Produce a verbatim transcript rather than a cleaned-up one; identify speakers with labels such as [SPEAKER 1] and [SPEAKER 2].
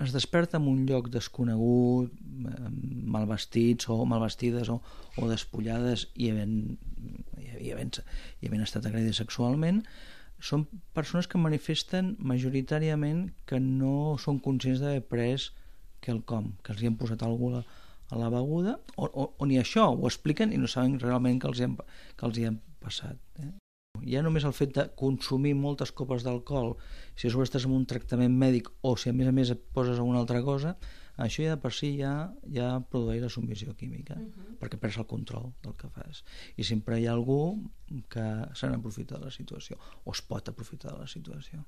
[SPEAKER 1] es desperta en un lloc desconegut, mal vestits o mal vestides o, o despullades i havent, i havent, i havent estat agredides sexualment, són persones que manifesten majoritàriament que no són conscients d'haver pres quelcom, que els hi han posat alguna cosa a la beguda, o, o, o ni això, ho expliquen i no saben realment que els hi han, que els hi han passat. Eh? Ja només el fet de consumir moltes copes d'alcohol, si a sobre estàs en un tractament mèdic o si a més a més et poses alguna altra cosa, això ja de per si ja, ja produeix la submissió química, uh-huh. perquè perds el control del que fas. I sempre hi ha algú que se n'aprofita de la situació, o es pot aprofitar de la situació.